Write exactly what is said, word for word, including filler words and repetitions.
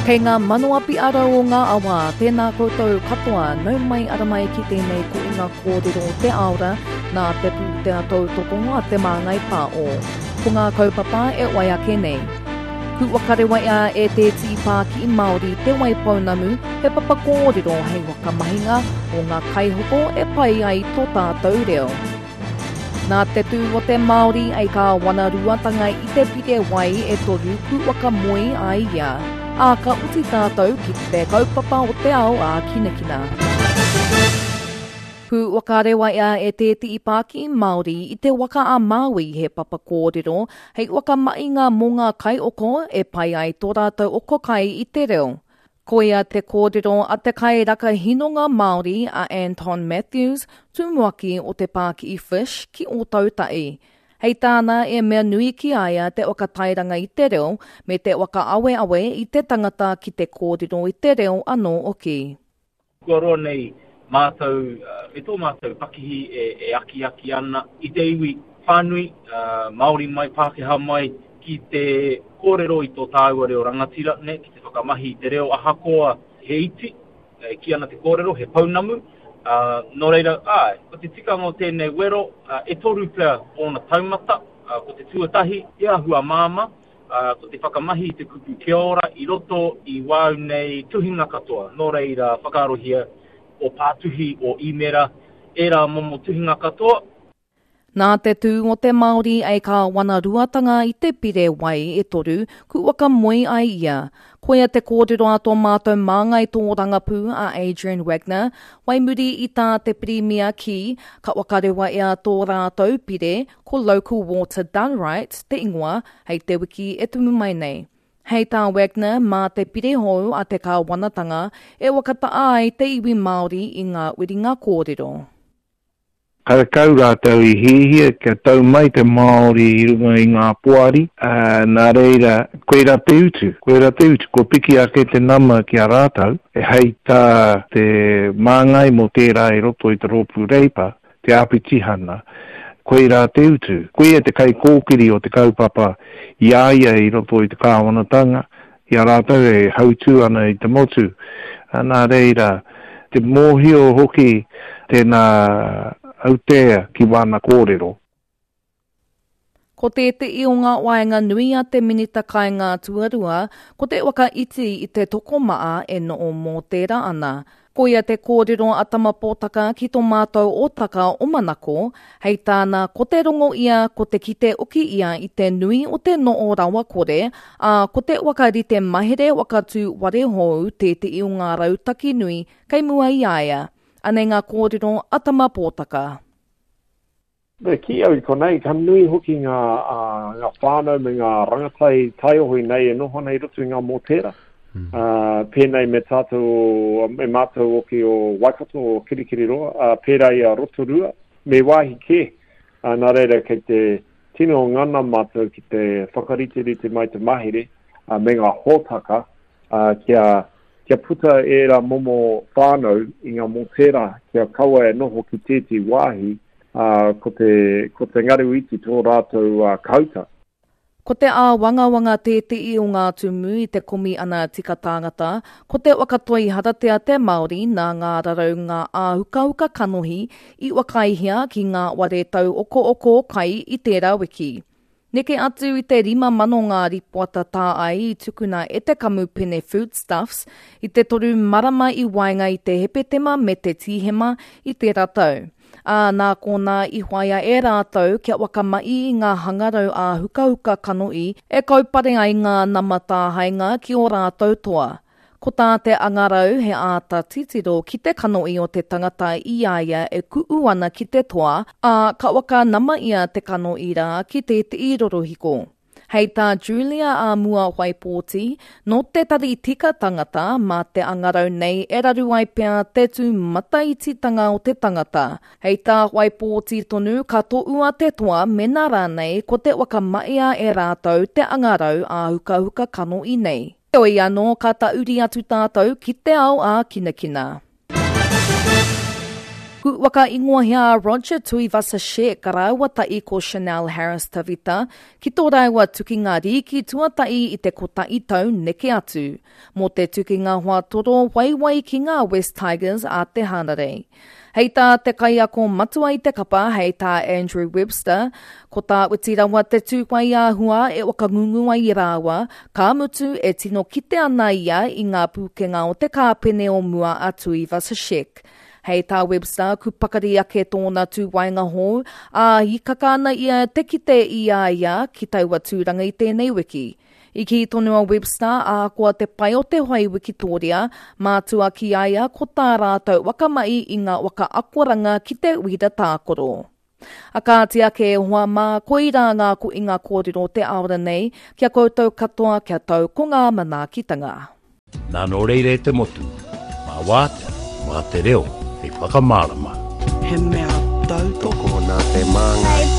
Kei ngā mano api arau o ngā awa, tēnā koutou katoa, nau mai ara mai ki tēnei koʻinga kōrero o te aora, nā te pūtea tautoko a Te Māngai Pāo. Ko ngā kaupapa e wai ake nei. Kua ia e te tīpāki Māori Te Waipounamu, he papa kōrero hei whakamahinga o ngā kaihoko e pai ai tō tātou reo. Nā te tū o te Māori ei ka wanaruatanga i te pire wai e toru kua moe ai ia. Ā ka uti tātou ki te kaupapa o te ao a kinakina. Pū wakarewa ia e te tīpāki Māori i te waka a Māui he papa kōrero hei whakamahinga mō ngā kaioko e pai ai tō rātou oko kai i te reo. Koia te kōrero a te kairaka hinonga Māori a Anton Matthews, tumuaki o te Pākihi Fish ki Ōtautahi. Hei tāna e mea nui ki a ia te whakatairanga i te reo me te whakaaweawe i te tangata ki te kōrero i te reo anō hoki. Kua roa nei mātou, me tō mātou pakihi e, e akiaki ana i te iwi whānui, uh, Māori mai, Pākehā mai, ki te kōrero i tō tāua reo rangatira, ne, ki te whakamahi i te reo ahakoa he iti, e kī ana te kōrero, he pounamu. Uh, nō reira, āe, ko te tikanga o tēnei wero, uh, e toru pea ōna taumata, uh, ko te tuatahi, te āhua māmā, uh, ko te whakamahi i te kupu kia ora i roto i wāu nei tuhinga katoa. Nō reira, whakaarohia o pātuhi, o īmera, ērā momo tuhinga katoa. Nā te tū o te Māori ei ka wanaruatanga i te pire wai e toru, ku waka moe ai ia. Koia te kōrero a tō mātou māngai tōrangapū a Adrian Wagner, wai muri i tā te pirimia ki, ka wakarewa e a tō rātou pire, ko Local Water Done Right, te ingoa, hei te wiki e tumu mai nei. Hei tā Wagner, mā te pire hou a te kāwanatanga, e whakata'a ai te iwi Māori i ngā wiringa kōrero. Karekau rātou i hihia kia tau mai te Māori i runga i ngā poari, uh, nā reira, koira te utu, koira te utu, ko piki ake te nama ki a rātou, e hei tā te māngai mō tērā i roto i te rōpū Reipa, te āpitihana, koira te utu. Koia te kaikōkiri o te kaupapa i a ia i roto i te kāwanatanga, i a rātou e hautū ana i te motu. Nā reira, te mōhio hoki tēnā autea ki wāna kōrero. Ko tētehi o ngā waenga nui a te minita kainga tuarua, ko te waka iti i te tokomaa e noo mō tērā ana. Koia te kōrero a Tamapōtaka ki tō mātou ōtaka o Manako, hei tāna ko te rongo ia, ko te kite oki ia i te nui o te noo rawa kore, ā ko te wakarite mahere wakatū ware hou tētehi o ngā rautaki nui kei mua i a ia. Anei ngā kōrero a Tamapōtaka. Me ki au i konei, ka nui hoki ngā, uh, ngā whānau me ngā rangatai taiohi nei e noho nei roto i ngā mōtēra. Mm. Uh, pēnei me tātou, me mātou hoki o Waikato, o Kirikiriroa, uh, pērā i a Rotorua, me wāhi kē. Uh, nā reira, kei te tino ngana mātou ki te whakariterite mai te mahere uh, me ngā hōtaka uh, kia, kia puta ērā momo whānau i ngā mōtēra, kia kaua e noho ki tēti wāhi, uh, ko te, ko te ngaru iti tō rātou uh, kauta. Ko te āwangawanga tētehi o ngā tumu i te komi ana tika tāngata, ko te wakatoi haratea te Māori nā ngā rarau ngā āhukahuka kanohi i wakaihia ki ngā ware tau oko oko kai i tērā wiki. Neke atu i te rima mano ngā ripoata tā ai i tukuna e te kamupene Foodstuffs i te toru marama i waenga i te Hepetema me te Tīhema i tērā tau. Ā, nā kōnā i whaia e rātou kia wakamai i ngā hangarau āhukahuka kanohi e kaupare ai ngā nama tāhainga ki o rātou toa. Ko tā te angarau he āta titiro ki te kanohi o te tangata i a ia e ku'u ana ki te toa, ā, ka waka nama ia te kanohi rā ki tētehi rorohiko. Hei tā Julia a mua Waipōti, nō te tari tika tangata mā te angarau nei e raru ai pea te tū mataititanga o te tangata. Hei tā Waipōti tonu ka toʻua te toa mena rānei ko te whakamaia e rātou te angarau āhukahuka kanohi nei. Heoi anō ka tauri atu tātou ki te ao ā kinakina. Ku waka ingoa hea Roger Tuivasa-Sheck rāua ta'i ko Chanel Harris Tavita ki tō rāua tukinga rīki tuata'i i te kota'i tau neke atu. Mō te tukinga hoa toro waiwai ki ngā West Tigers a te Hanarei. Hei tā te kaiako matua i te kapa, hei tā Andrew Webster, ko tā uti rawa te tūwai āhua e wakangungu ai rāua, ka mutu e tino kite ana ia i ngā pūkenga o te kāpene o mua a Tuivasa-Sheck. Hei tā Webster, ku pakari ake tōna tūwainga hou, ā hikaka ana ia te kite i a ia ki taua tūranga i tēnei wiki. I ki tonu a Webster, ā koa te pai o te whai Wikitoria, mātua ki a ia ko tā rātou wakamai i ngā waka akoranga ki te uira tākoro. A kāti ake e hoa mā, koirā ngā ko i ngā kōrero te aora nei, kia koutou katoa kia tau ko ngā manaakitanga. Nā nō reira e te motu, mā wātea, mā te reo, hei whakamārama. He mea tautoko nā te māngai.